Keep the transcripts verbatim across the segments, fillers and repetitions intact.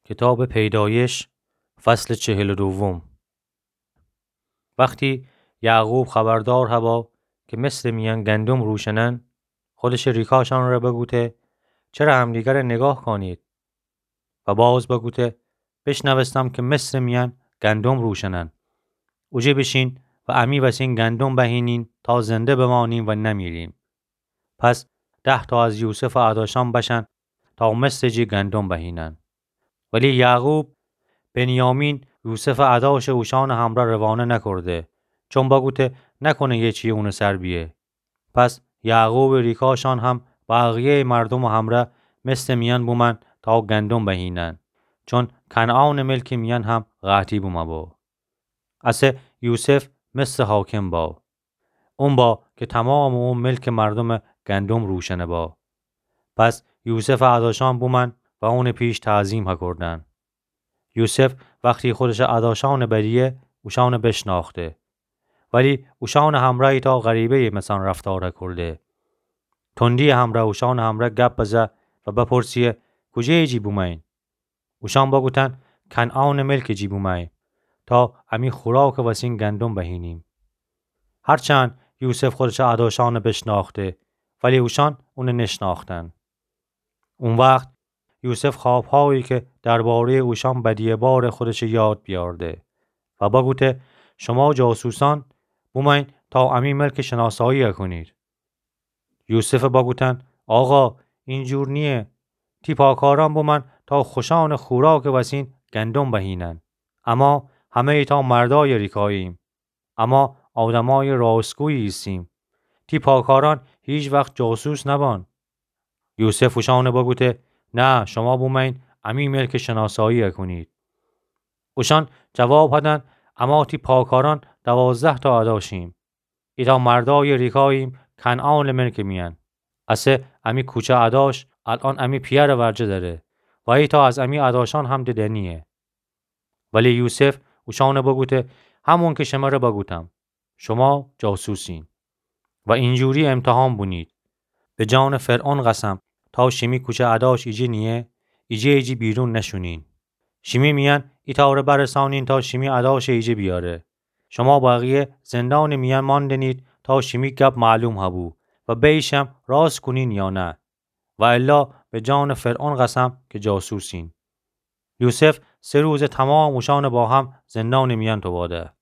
کتابٚ پیدایش، فصلٚ چهل و دوم. وختی یعقوب خبردار هبا کی مصرٚ میأن گندم روشنن، خودشٚ ریکاشأنٚ ره بگوته: چره همدیگره نیگاه کانید؟ و باز بگوته: بشنوستم کی مصرٚ میأن گندم روشنن. اوجه بیشین و امی وسین گندم بهینین تا زنده بمانیم و نمیریم. پس ده تا از یوسفٚ اداشأن بشن تا مصرٚ جی گندم بهینن. ولی یعقوب بنیامین، یوسفٚ اداشٚ، اوشأنٚ همرأ روانه نکرده، چون بگوته نکنه یه چی اونٚ سر بیه. پس یعقوبٚ ریکاشأن هم بقیه‌یٚ مردومٚ همرأ مصرٚ میأن بومأن تا گندم بهینن، چون کنعانٚ ملکٚ میأن هم قحطی بومه بو. اسه یوسف مصرٚ حاکم با. اون با کی تمامٚ او ملکٚ مردومٚ گندم روشنه با. پس یوسفٚ اداشأن بومأن و اونٚ پیش تعظیم هکردن. یوسف وختی خودشٚ اداشأنٚ بدیه، اوشأنٚ بشنأخته. ولی اوشأنٚ همرأ ایتأ غریبه‌یٚ مثأن رفتار هکرده. تندی‌یٚ همرأ اوشأنٚ همرأ گپ بزه و بپرسه: کوجه‌یٚ جی بومأیین؟ اوشأن بگوتن: کنعانٚ ملکٚ جی بومأییم تا امی خوراکٚ وسین گندم بهینیم. هرچند یوسف خودشٚ اداشأنٚ بشنأخته، ولی اوشأن اونٚ نشنأختن. او وخت یوسف خوابهایی کی درباره‌یٚ اوشأن بدیه باره خودشٚ یاد بیأورده و بگوته: شما جاسوسأن بومأیین تا امی ملکٚ شناسایی هکونید. یوسفٚ بگوتن: آقا، اینجور نییه. تی پاکارأن بومأن تا خوشأنٚ خوراکٚ وسین گندم بهینن. اما همه ایتأ مردأیٚ ریکاییم. اما آدمأیٚ راستگویی ایسیم. تی پاکارأن هیچ وخت جاسوس نبأن. یوسف اوشأنٚ بگوته: نه، شما بومأیین امی ملکٚ شناسایی هکونید. اوشأن جواب هدن: اما تی پاکارأن دوازده تا اداشیم. ایتأ مردأیٚ ریکاییم کنعانٚ ملکٚ میأن. اسه امی کوچه اداش الأن امی پیأرٚ ورجه دأره و ایتأ از امی اداشأن هم ددنییه. ولی یوسف اوشأنٚ بگوته: همون کی شمره بگوتم، شما جاسوسین و اینجوری امتحان بونید. به جانٚ فرعون قسم، تا شیمی کوچه اداش ایجه نییه، ایجه‌یٚ جی بیرون نشونین. شیمی میأن ایتأ ره برسانین تا شیمی اداشٚ ایجه بیاره. شما بقیه زندانٚ میأن ماندنید تا شیمی گپ معلوم هبو و بیشم راست کونین یا نه. و الا به جانٚ فرعون قسم کی جاسوسین. یوسف سه روز تمام اوشأنٚ با هم زندانٚ میأن توباده.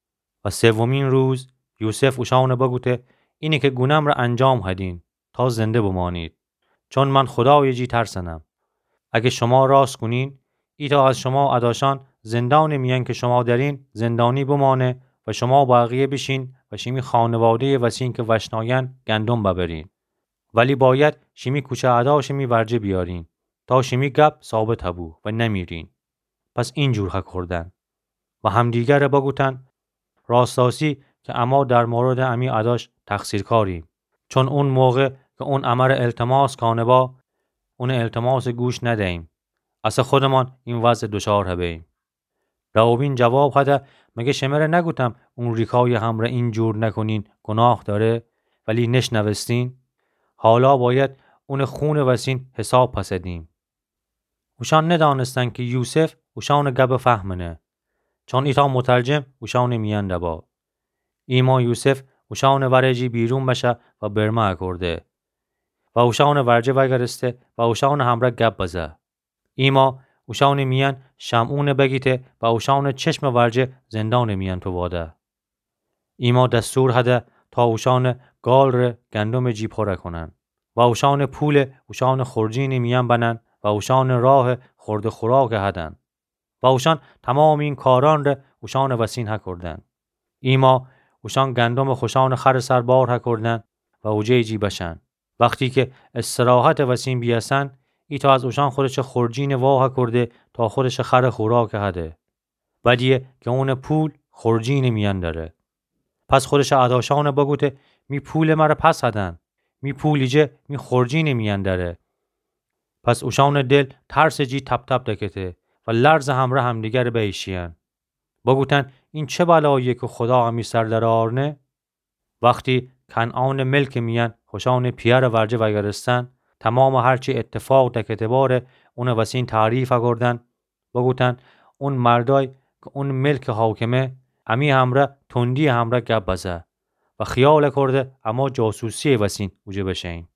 و سومین روز یوسف اوشأنٚ بگوته: اینی کی گونم ره انجام هدین تا زنده بمانید، چون من خودایٚ جی ترسنم. اگه شما راست کونین، ایتأ از شما اداشأن زندانٚ میأن کی شما درین زندانی بمانه و شما بقیه بیشین و شیمی خانواده‌یٚ وسین کی وشناین گندم ببرین. ولی باید شیمی کوچه اداشٚ می ورجه بیارین تا شیمی گپ ثابت هبو و نمیرین. پس اینجور هکردن و همدیگره بگوتن: راستاسی کی اما در موردٚ امی اداش تقصیرکاریم، چون اون موقع کی اون امره التماس کانه با، اونٚ التماسٚ گوش ندهییم. اسه خودمان این وضع دوچار هبهییم. روبین جواب هده: مگه شمره نگوتم اون ریکایٚ همره اینجور نکونین، گوناه دأره؟ ولی نشنوستین. حالا باید اونٚ خونٚ وسین حساب پس دیم. اوشأن ندأنستن کی یوسف اوشأنٚ گب فهمنه، چون ایتأ مترجم اوشأنٚ میأن دبا. ایما یوسف اوشأنٚ ورٚ جی بیرون بشه و برمه اکرده و اوشأنٚ ورجه وأگرسته و اوشأنٚ همره گب بزه. ایما اوشأنٚ میأن شمعونٚ بگیته و اوشأنٚ چشمٚ ورجه زندانٚ میأن توباده. ایما دستور هده تا اوشأنٚ گالٚ ره گندمٚ جی پوره کونن و اوشأنٚ پوله اوشأنٚ خورجینٚ میأن بنن و اوشأنٚ راه خورد و خوراک هدن. و اوشأن تمامٚ این کارأن ره اوشأنٚ وسین هکردن. ایما اوشأن گندمٚ خوشأنٚ خرٚ سر بار هکردن و اوجه‌یٚ جی بشن. وختی کی استراحتٚ وسین بیأسن، ایتأ از اوشأن خودشٚ خورجینٚ وا هکرده تا خودشٚ خرٚ خوراک هده. بدیه کی اونٚ پول خورجینٚ میأن دأره. پس خودشٚ اداشأنٚ بگوته: می پولٚ مره پس هدن. می پول ایجه می خورجینٚ میأن دأره. پس اوشأنٚ دل ترسٚ جی تپ‌تپ دکته و لرزٚ همره همدیگره بیشیین. بگوتن: این چه بلاییه کی خودا امی سر درآرنه؟ وختی کنعانٚ ملکٚ میأن خوشأنٚ پیأرٚ ورجه وأگرستن، تمامٚ هرچی ایتفاق دکته باره اونٚ وسین تعریف اکردن بگوتن: اون مردأی کی اون ملکٚ حاکمه، امی امرأ تندی‌یٚ امرأ گب بزه و خیال کرده اما جاسوسی‌یٚ وسین اوجه بشه‌ییم.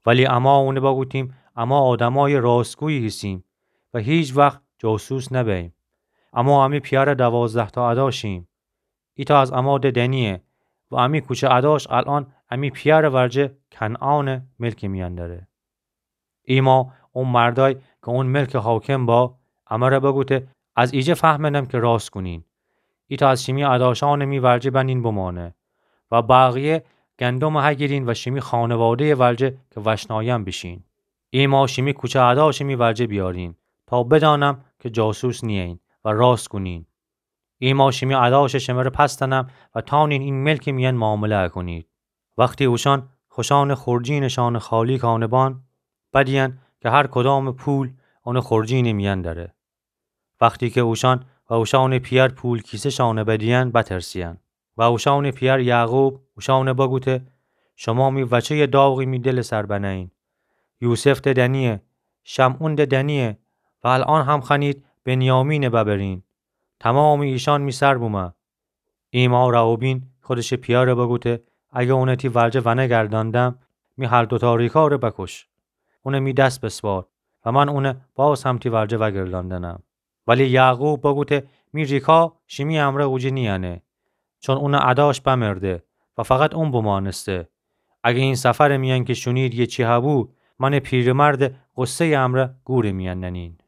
ولی اما اونه بگوتیم اما آدمأیٚ راستگویی هیسیم و هیچ وخت جاسوس نبه‌ییم. اما امی پیأرٚ دوازده‌تأ ادا شیم. ایتأ از اما ده دنییه و امی کوچه اداش الأن امی پیأرٚ ورجه کنعانٚ ملکٚ میأن دأره. ایما او مردأی کی اون ملکٚ حاکم با، امره بگوته: از ایجه فهمنم کی راست کونین. ایتأ از شیمی اداشأنٚ می ورجه بنین بمأنه و بقیه گندمٚ هگیرین و شیمی خانواده‌یٚ ورجه کی وشنایم بیشین. ایما شیمی کوچه اداشٚ می ورجه بیارین تا بدأنم کی جاسوس نییین و راست کونین. ایما شیمی اداشٚ شمره پس دأنم و تأنین این ملکٚ میأن معامله اکونید. وختی اوشأن خوشأنٚ خورجینٚ شأنٚ خالی کأنه بان، بدیین کی هر کدامٚ پول اونٚ خورجینٚ میأن دأره. وختی کی اوشأن و اوشأنٚ پیأر پول کیسه شأنه بدیین، بترسیین. و اوشأنٚ پیأر یعقوب اوشأنه بگوته: شما می وچه‌یٚ داغی می دلٚ سر بنه‌یین. یوسف ده دنییه، شمعون ده دنییه و الأن هم خوأنید بنیامینه ببرین. تومامٚ ایشأن می سر بومه. ایما روبین خودشٚ پیأره بگوته: اگر اونه تی ورجه ونگردأندم، می هر دوتأ ریکأره بکش. اونه می دس بسپار و من اونه باز هم تی ورجه وگردأندنم. ولی یعقوب بگوته: می ریکا شیمی امرأ اوجه نییأنه، چون اونٚ اداش بمرده و فقط اون بمأنسته. اگر این سفرٚ میأن کی شونید یه چی هبو، منٚ پیرمردٚ غصه‌یٚ امرأ گورٚ میأن ننین.